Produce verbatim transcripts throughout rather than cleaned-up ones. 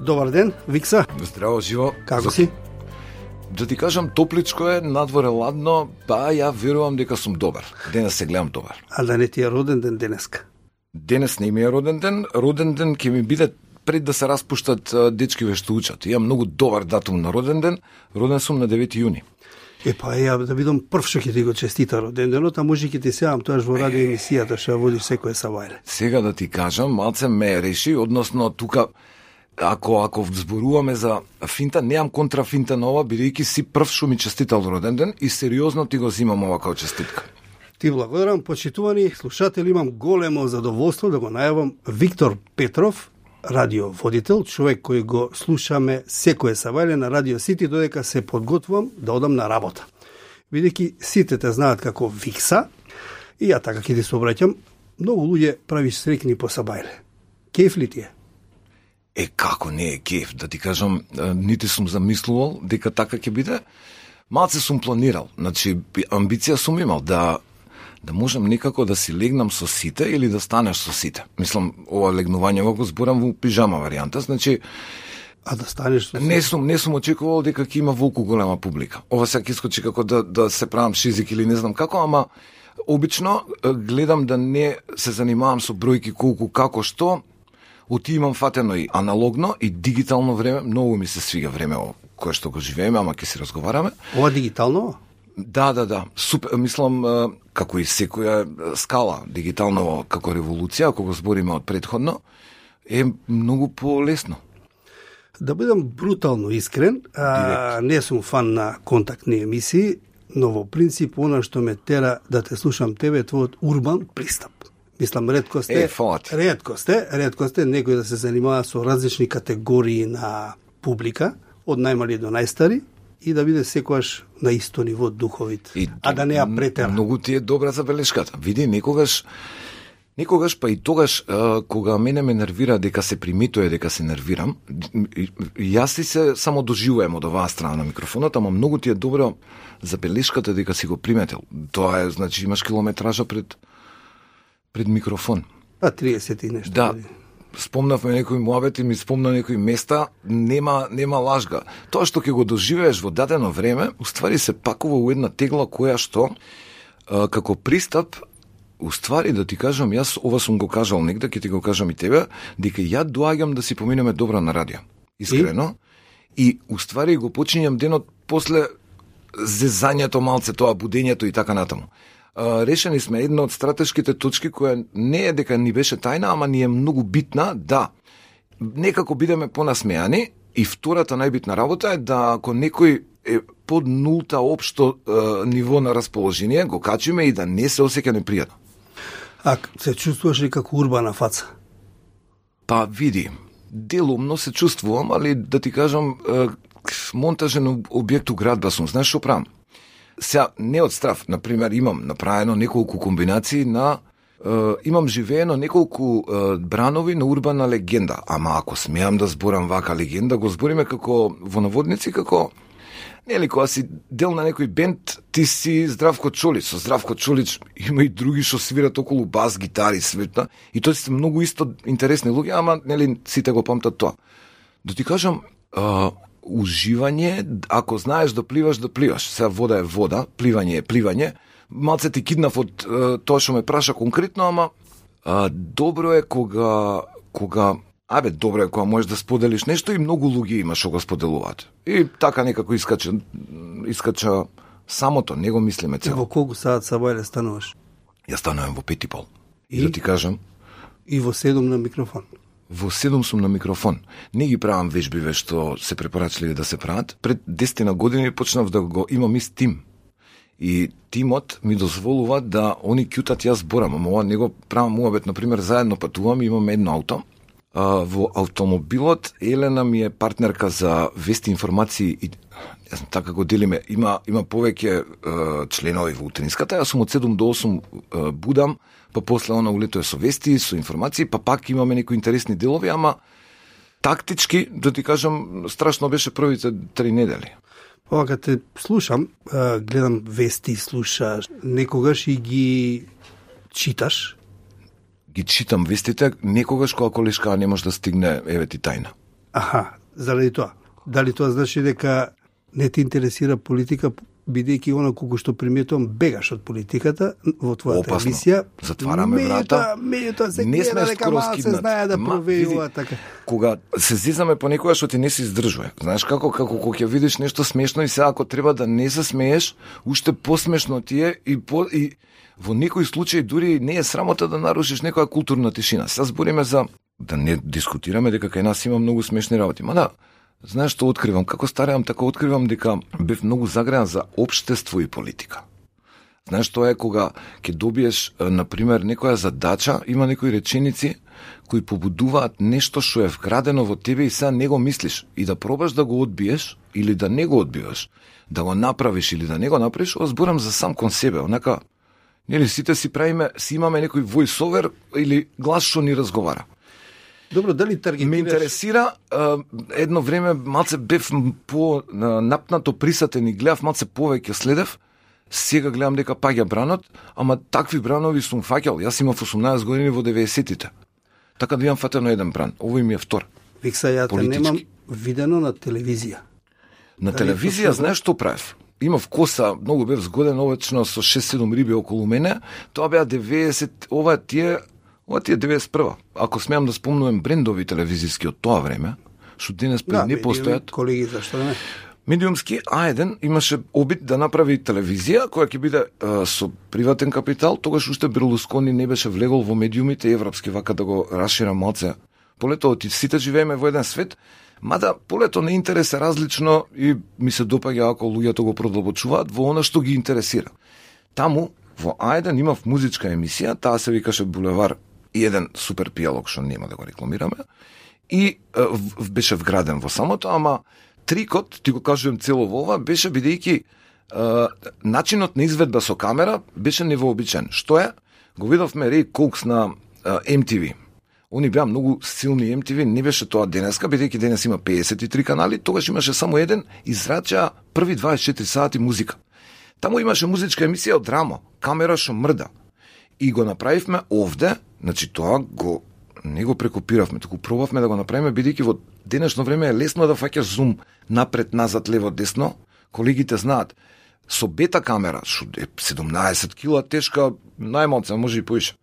Добар ден, Викса. Здраво, живо. Како си? Да ти кажам, топличко е, надвор е ладно, па ја верувам дека сум добар. Денес се гледам добар. А да не ти е роден ден денеска? Денес не ми е роден ден, роден ден ќе ми биде пред да се распуштат дечкиве што учат. Имам многу добар датум на роден ден, роден сум на девети јуни. Е, па ја да бидам прв што ќе ти го честита роден денот, а може ќе ти сеам тоаш во радио емисијата што ја водиш секој сабајле. Сега да ти кажам, малце ме реши, односно тука Ако ако зборуваме за финта, неам контра финта на ова, бидејќи си прв што ми честитал роден ден и сериозно ти го зимам ова као честитка. Ти благодарам, почитувани слушатели, имам големо задоволство да го најавам Виктор Петров, радиоводител, човек кој го слушаме секое сабајле на Радио Сити, додека се подготвувам да одам на работа. Бидејќи сите те знаат како Викса, и ја така ќе ти се обраќам, многу луѓе правиш срекни по сабајле. Кеф ли ти е? Е, како не е кеф, да ти кажам, нити сум замислувал дека така ќе биде. Малце сум планирал, значи амбиција сум имал да да можам некако да си легнам со сите или да станеш со сите. Мислам, ова легнување го зборам во пижама варијанта, значи а да станеш со сите? Не сум, не сум очекувал дека ќе има волку голема публика. Ова сега ќе искочи како да да се правам шизик или не знам како, ама обично гледам да не се занимавам со бројки колку како што. Оти имам фатено и аналогно и дигитално време, многу ми се свига време кое што го живееме, ама ќе си разговараме. Ова дигитално? Да, да, да. Супер, мислам, како и секоја скала, дигитално како револуција, ако го збориме од претходно, е многу полесно. Да бидам брутално искрен, а, не сум фан на контактни емисии, но во принцип, она што ме тера да те слушам тебе е твојот урбан пристап. Мислам, ретко сте, е, ретко сте, ретко сте некој да се занимава со различни категории на публика, од најмали до најстари, и да биде секојаш на исто ниво духовит, и, а да не ја претера. Многу ти е добра забелешката. Види, некогаш, некогаш па и тогаш, а, кога мене ме нервира дека се приметува дека се нервирам, јас си се само доживувам од оваа страна на микрофонот, ама многу ти е добра забелешката дека си го приметил. Тоа е, значи, имаш километража пред пред микрофон. А триесет и нешто. Да. Спомнавме некои муабети, ми спомна некои места, нема нема лажга. Тоа што ќе го доживееш во дадено време, уствари се пакува у една тегла која што а, како пристап, уствари да ти кажам, јас ова сум го кажал негде, ќе ти го кажам и тебе, дека ја доаѓам да си поминеме добро на радио. Искрено. И, и уствари го почињам денот после зезањето малце, тоа будењето и така натаму. Решени сме една од стратешките точки која не е дека ни беше тајна, ама ни е многу битна, да некако бидеме понасмејани, и втората најбитна работа е да ако некој е под нулта општо е, ниво на расположение, го качиме и да не се осеќа непријатно. А се чувствуваш ли како урбана фаца? Па види, делумно се чувствувам, али да ти кажам, е, монтажен објект у градба сум, знаеш што правам? Сега, не од страв, например, имам направено неколку комбинации на, е, имам живеено неколку е, бранови на урбана легенда, ама ако смеам да зборам вака легенда, го збориме како во наводници, како, нели, кога си дел на некој бенд, ти си Здравко Чолич, со Здравко Чолич има и други што свират околу бас, гитари, светна, и тоа се многу исто интересни луѓе, ама, нели, сите го памтат тоа. Да ти кажам, е, уживање, ако знаеш да пливаш, да пливаш. Сега вода е вода, пливање е пливање. Малце ти киднав од е, тоа што ме праша конкретно, ама е, добро е кога кога абе добро е кога можеш да споделиш нешто и многу луѓе има што го споделуваат. И така некако искача искача самото, не го мислиме цело. Во колку саат сабајле стануваш? Ја станувам во пет и пол. И, и да ти кажам, и во седум на микрофон. Во седум сум на микрофон. Не ги правам вежбиве што се препорачливи да се прават. Пред десет години почнав да го имам ист тим. И тимот ми дозволува да они кјутат јас зборам. Ама ова не го правам муабет, например, заедно патувам, имам едно ауто. А, во автомобилот Елена ми е партнерка за вести, информации и јас така го делиме. Има има повеќе е, членови во утринската. Јас сум од седум до осум е, будам, па после она улетува со вести, со информации, па пак имаме некои интересни делови, ама тактички, да ти кажам, страшно беше првите три недели. Ова кога те слушам, гледам вести, слушаш, некогаш и ги читаш? Ги читам вестите, некогаш кога колешка не може да стигне, еве ти тајна. Аха, заради тоа. Дали тоа значи дека не те интересира политика, бидејќи она колку што приметувам бегаш од политиката во твојата Опасно. емисија. Затвараме врата. Меѓутоа се Не сме гледа дека скоро малку се скиднати. знае да Ма, провејува види, така. Кога се зизаме по некоја што ти не се издржува. Знаеш како како кога ќе видиш нешто смешно и сега ако треба да не се смееш, уште посмешно ти е и по и во некои случаи дури не е срамота да нарушиш некоја културна тишина. Сега збориме за да не дискутираме дека кај нас има многу смешни работи. Ма да, знаеш што откривам? Како стареам, така откривам дека бев многу загреан за општество и политика. Знаеш, тоа е кога ќе добиеш, на пример, некоја задача, има некои реченици кои побудуваат нешто што е вградено во тебе и сега не го мислиш. И да пробаш да го одбиеш или да не го одбиеш, да го направиш или да не го направиш, ова зборам за сам кон себе. Онака, нели сите си правиме, си имаме некој voice-over или глас што ни разговара. Добро, дали таргетираш? Ме интересира, а, едно време малце бев по а, напнато присатен и гледав малце повеќе следев. Сега гледам дека паѓа бранот, ама такви бранови сум фаќал. Јас имав осумнаесет години во деветдесетите. Така да имам фатено еден бран. Овој ми е втор. Викса, ја те Политички. немам видено на телевизија. На Дали телевизија, тоа знаеш што правев? Имав коса, многу бев згоден, овечно со шест-седум риби околу мене. Тоа беа деветдесет, ова тие, ова тие деветдесет и прва. Ако смеам да спомнувам брендови телевизиски од тоа време, што денес пред Да, не види, постојат. колеги, зашто не? Медиумски А еден имаше обид да направи телевизија која ќе биде а, со приватен капитал, тогаш уште Берлускони не беше влегол во медиумите европски, вака да го расшира малце. Полето од сите живееме во еден свет, мада полето на интерес е различно и ми се допаѓа ако луѓето го продолбочуваат во она што ги интересира. Таму во А еден имав музичка емисија, таа се викаше Булевар и еден супер пијалок што нема да го рекламираме и а, в, беше вграден во самото, ама трикот, ти го кажувам цело во ова, беше бидејќи а, начинот на изведба со камера беше невообичен. Што е? Го видовме Рей Коукс на а, Ем Ти Ви. Они беа многу силни Ем Ти Ви, не беше тоа денеска, бидејќи денес има педесет и три канали, тогаш имаше само еден, израча први дваесет и четири сати музика. Таму имаше музичка емисија од драма, камера што мрда. И го направивме овде, значи тоа го не го прекопиравме, туку пробавме да го направиме, бидејќи во денешно време е лесно да фаќаш зум напред, назад, лево, десно. Колегите знаат, со бета камера, што е седумнаесет кила тешка, најмалце, може и поише,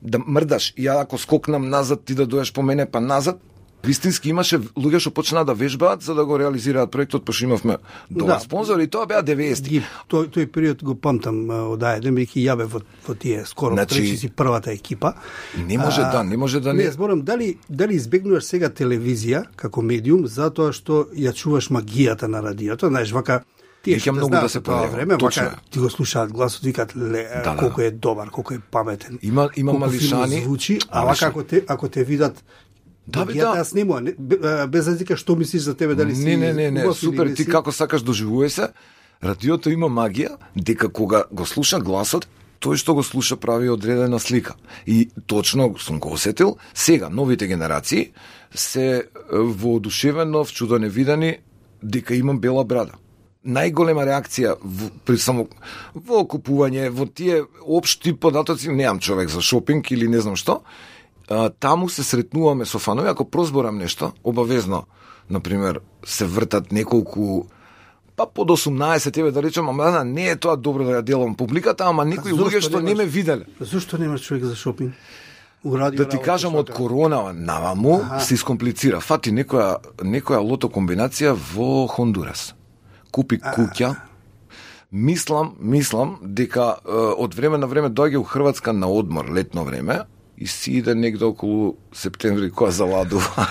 да мрдаш, и ја ако скокнам назад, ти да доеш по мене, па назад, вистински имаше луѓе што почнаа да вежбаат за да го реализираат проектот, пошто имавме добар Да. спонзор и тоа беа деветдесети. Ги, тој, тој период го памтам а, од А еден, бидејќи ја бев во, во тие скоро Значи, речи си првата екипа. Не може да, не може да не. не. Не, зборам, дали, дали избегнуваш сега телевизија како медиум, затоа што ја чуваш магијата на радиото, знаеш, вака, тие Веќе што многу знаат да се во тоа појавува, време, точно вака, е. ти го слушаат гласот, викаат, ле, Да, да, колку да. е добар, колку е паметен. Има има колку фино малишани. звучи, а Малишани. вака ако те, ако те видат, Да, бе, магијата да. јас нема, не, бе- без разлика што мислиш за тебе, дали си Не, не, не, не, убав или супер, не ти си. како сакаш доживувај се. Радиото има магија, дека кога го слуша гласот, тој што го слуша прави одредена слика. И точно сум го осетил, сега новите генерации се е, воодушевено, вчудо невидени, дека имам бела брада. Најголема реакција во, при само во купување, во тие општи податоци, неам човек за шопинг или не знам што, а, таму се сретнуваме со фанови, ако прозборам нешто, обавезно, например, се вртат неколку, па под осумнаесет, еве да речем, ама да, не е тоа добро да ја делам публиката, ама некои зошто луѓе што не немаш- ме виделе. Зошто немаш човек за шопинг? У радио Да ти работиш кажам, од вака. корона наваму Аха. се искомплицира. Фати некоја, некоја лото комбинација во Хондурас. Купи куќа. Мислам, мислам дека е, од време на време доаѓа у Хрватска на одмор, летно време, и си иде негде околу септември која заладува.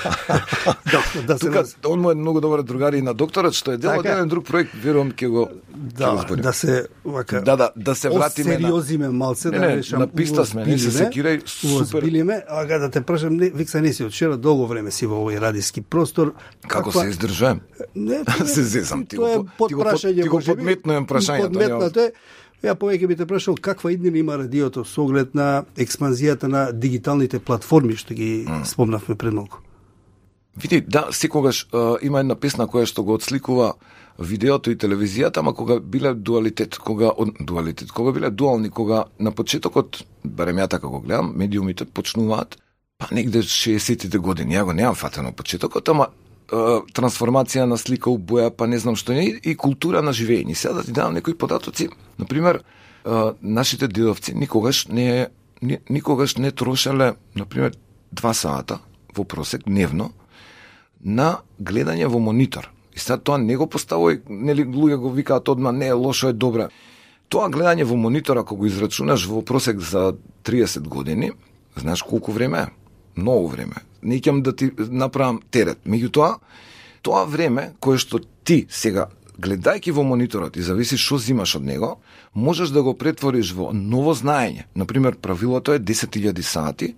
Да, да се Тука, раз- он му е многу добар другар и на докторот, што е дел од Така. еден друг проект, верувам ќе го ќе го Да, зборим. да се вака. Да, да, да се вратиме на- Осериозиме малце, Не, да не, речам. на писта сме, не се уозбилиме, секирај, супер. уозбилиме, ага да те прашам, не, Викса не си од вчера, долго време си во овој радиски простор. Како се издржувам? Не, Се зезам, ти го тоа е под- ти го под- подпрашање, ти го можеби. подметнувам прашањето, Подметнато е. Ја повеќе би те прашал каква иднина има радиото со оглед на експанзијата на дигиталните платформи што ги mm. спомнавме пред малку. Види, да, секогаш е, има една песна која што го отсликува видеото и телевизијата, ама кога биле дуалитет, кога од, дуалитет, кога биле дуални, кога на почетокот, барем ја така го гледам, медиумите почнуваат, па негде шеесеттите години, ја го немам фатено почетокот, ама трансформација на слика у боја, па не знам што не, и култура на живење. Сега да ти давам некои податоци. Например, нашите дедовци никогаш не никогаш не трошеле, например, два сата во просек дневно на гледање во монитор. И сега тоа не го поставој, нели луѓе го викаат одма, не, лошо е, добро. Тоа гледање во монитор, ако го израчунаш во просек за триесет години, знаеш колку време е? Многу време. Не ќе да ти направам терет. Меѓутоа, тоа време кое што ти сега гледајќи во мониторот и зависи што зимаш од него, можеш да го претвориш во ново знаење. Например, правилото е десет илјади сати.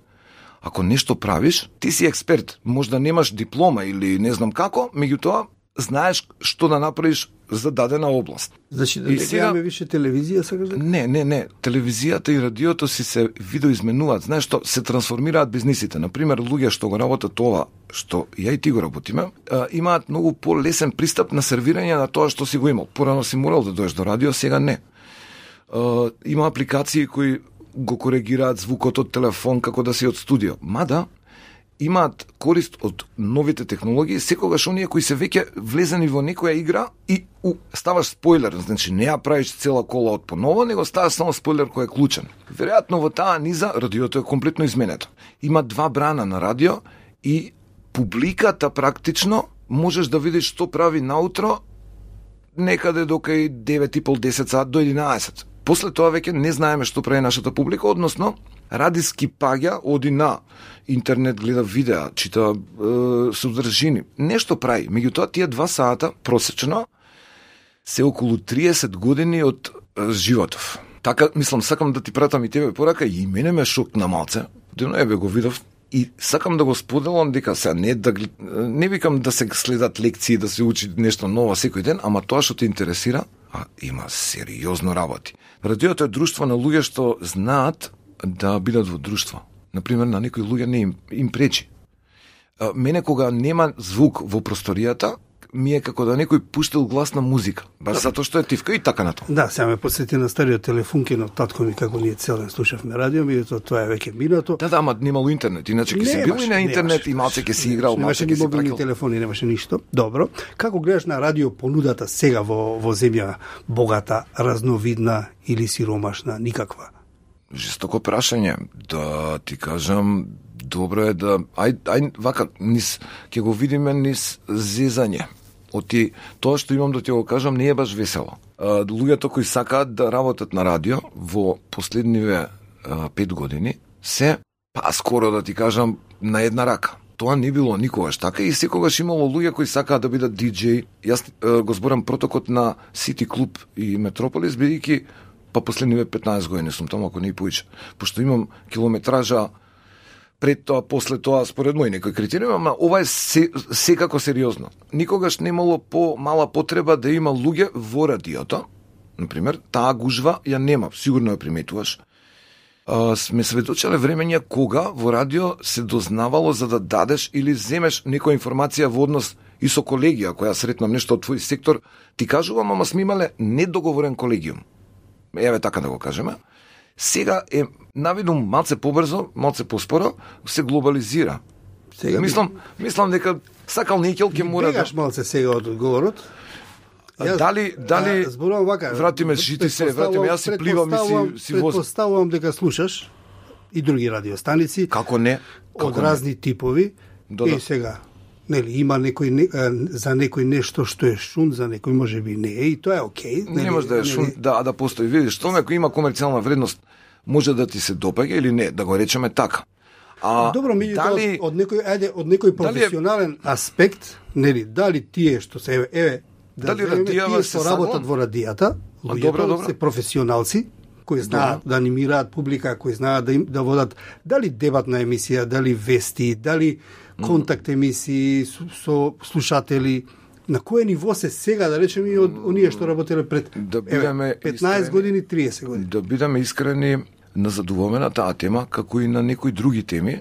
Ако нешто правиш, ти си експерт. Може да немаш диплома или не знам како, меѓутоа знаеш што да направиш за дадена област. Значи да не сега... гледаме више телевизија сега? Не, не, не. Телевизијата и радиото си се видоизменуваат. Знаеш што, се трансформираат бизнисите. Например, луѓе што го работат това, што ја и ти го работиме, имаат многу полесен пристап на сервирање на тоа што си го имал. Порано си морал да доеш до радио, сега не. Има апликации кои го коригираат звукот од телефон како да си од студио. Мада имаат корист од новите технологии, секогаш оние кои се веќе влезени во некоја игра и у, ставаш спойлер, значи не ја правиш цела кола од поново, него ставаш само спойлер кој е клучен. Веројатно во таа низа радиото е комплетно изменето. Има два брана на радио и публиката практично можеш да видиш што прави наутро некаде до кај девет и пол десет сат до единаесет. После тоа веќе не знаеме што прави нашата публика, односно радиски паѓа, оди на интернет, гледа видеа, чита е, содржини, нешто прави. Меѓутоа, тие два сата просечно се околу триесет години од е, животов. Така, мислам, сакам да ти пратам и тебе порака, и мене ме шокна малце. Дено ебе го видов и сакам да го споделам дека се не да не викам да се следат лекции, да се учи нешто ново секој ден, ама тоа што те интересира, а има сериозно работи. Радиото е друштво на луѓе што знаат да бидат во друштво. Например, на некои луѓе не им, им пречи. А, мене кога нема звук во просторијата, ми е како да некој пуштил гласна музика. Баш затоа што е тивка и така на тоа. Да, сега ме посети на стариот телефунки на татко ми, како ние цел ден слушавме радио, ми тоа, тоа е веќе минато. Да, да, ама немало интернет, иначе ќе си бил и на интернет и малце ќе си играл, малце ќе си мобилни пракал. телефони, немаше ништо. Добро. Како гледаш на радио понудата сега во во земја богата, разновидна или сиромашна, никаква? Жестоко прашање, да ти кажам, добро е да ај ај вака низ ќе го видиме низ зезање. Оти тоа што имам да ти го кажам не е баш весело. А, луѓето кои сакаат да работат на радио во последниве а, пет години се па скоро да ти кажам на една рака. Тоа не било никогаш така и секогаш имало луѓе кои сакаат да бидат диџеи. Јас а, го зборам протокот на Сити Клуб и Метрополис, бидејќи па последниве петнаесет години сум таму, ако не и повеќе. Пошто имам километража пред тоа, после тоа, според мој некој критериум, ама ова е се, секако сериозно. Никогаш немало по-мала потреба да има луѓе во радиото. Например, таа гужва ја нема, сигурно ја приметуваш. А, сме сведочеле времења кога во радио се дознавало за да дадеш или земеш некоја информација во однос и со колегија, која сретнам нешто од твој сектор, ти кажувам, ама сме имале недоговорен колегиум. Еве така да го кажеме. Сега е навидум малце побрзо, малце поспоро, се глобализира. Сега мислам, мислам дека сакал Никел ќе мора да бегаш малце сега од одговорот. Јас, дали дали а, зборувам вака, вратиме жити се, вратиме јас си пливам и си си возам. Предпоставувам дека слушаш и други радиостаници. Како не? Како од разни не? типови. Да, и да. сега нели има некој не, за некој нешто што е шун, за некој можеби не е и тоа е окей. Не може да е шун, да, да постои. Видиш, што некој има комерцијална вредност, може да ти се допаѓа или не, да го речеме така. А добро, меѓутоа дали... од некој ајде од некој професионален е... аспект, нели, дали тие што се еве, еве да дали земеме, радијава тие се што работат само... во радијата, луѓето се професионалци кои знаат добро да анимираат публика, кои знаат да им да водат дали дебатна емисија, дали вести, дали контакт емисии со, со слушатели. На кое ниво се сега, да речеме, и од оние што работеле пред да бидеме петнаесет искрени, години, триесет години? Да бидеме искрени, назадуваме на таа тема, како и на некои други теми.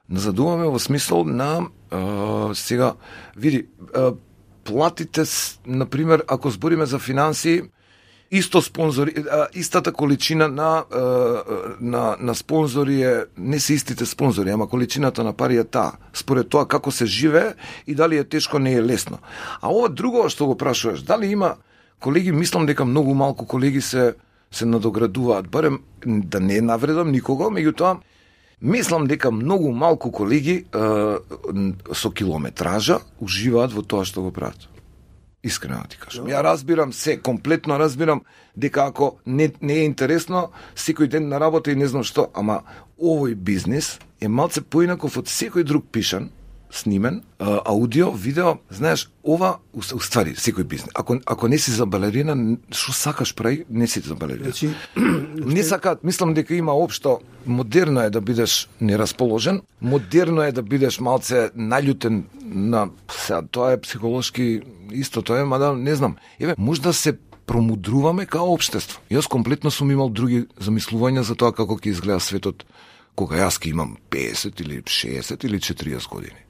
Назадуваме во смисол на а, сега, види, а, платите, например, ако збориме за финансии, Исто спонзори, истата количина на, на, на спонзори е, не се истите спонзори, ама количината на пари е таа, според тоа како се живее и дали е тешко, не е лесно. А ова друго што го прашуваш, дали има колеги, мислам дека многу малку колеги се, се надоградуваат, барем да не навредам никого, меѓутоа, мислам дека многу малку колеги е, со километража уживаат во тоа што го прават. Искрено ти кажам. Ја разбирам се, комплетно разбирам дека ако не, не е интересно, секој ден на работа и не знам што, ама овој бизнис е малце поинаков од секој друг пишан, снимен, аудио, видео, знаеш, ова, уствари, секој бизнес. Ако, ако не си за балерина, што сакаш прави, не си за балерина. Значи, не сакаат, мислам дека има општо, модерно е да бидеш нерасположен, модерно е да бидеш малце наљутен на, сега, тоа е психолошки исто, тоа е, мада не знам. Еве, може да се промудруваме као општество. Јас комплетно сум имал други замислувања за тоа како ќе изгледа светот кога јас ќе имам песет или шеесет или четириесет години.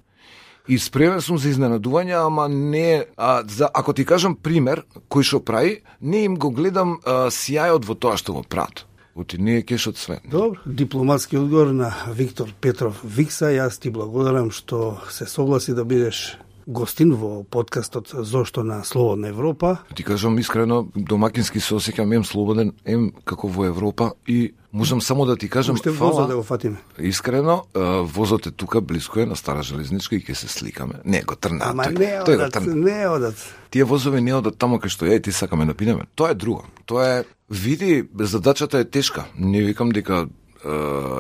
И спремен сум за изненадување, ама не, а, за, ако ти кажам пример, кој што прави, не им го гледам а, сјајот во тоа што го прават. Оти не е кешот све. Добро, дипломатски одговор на Виктор Петров Викса. Јас ти благодарам што се согласи да бидеш гостин во подкастот Зошто на Слободна Европа. Ти кажам искрено, домакински се осеќам ем слободен, ем како во Европа и можам само да ти кажам Уште фала. возот да го фатиме. Искрено, возот е тука, близко е на Стара железничка и ќе се сликаме. Не, го трна. Ама тој, не тој го одат, трна. не одат. Тие возови не одат таму кај што ја и ти сакаме да пинеме. Тоа е друго. Тоа е, види, задачата е тешка. Не викам дека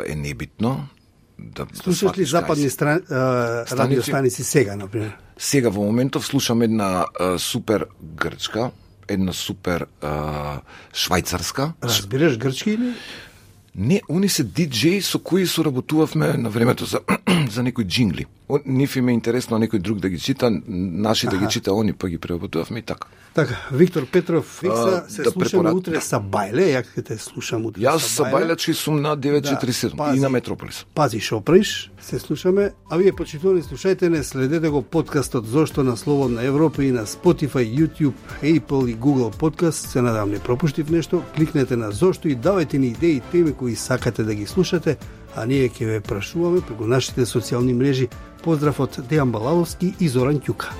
е небитно. Да, Слушаш ли западни стран, станици? радиостаници сега, например? Сега во моментов слушам една а, супер грчка, една супер а, швајцарска. Разбираш грчки или? Не, они се диџеи со кои соработувавме на времето за, за некои джингли. Ниф им е интересно некој друг да ги чита, наши Аха. да ги чита, они па ги преработувавме и така. Така, Виктор Петров Викса, се да слушаме препорад... утре са Бајле, ја ќе те слушам утре Јас са са Бајлечки сум на девет четири седум да, и на Метрополис. Пази шо приш, се слушаме, а вие почитувани слушајте не, следете го подкастот Зошто на Слободна Европа и на Spotify, YouTube, Apple и Google Podcast. Се надам не пропуштив нешто, кликнете на Зошто и давајте ни идеи и теми кои сакате да ги слушате, а ние ќе ве прашуваме преку нашите социјални мрежи. Поздрав од Дејан Балаловски и Зоран Ќука.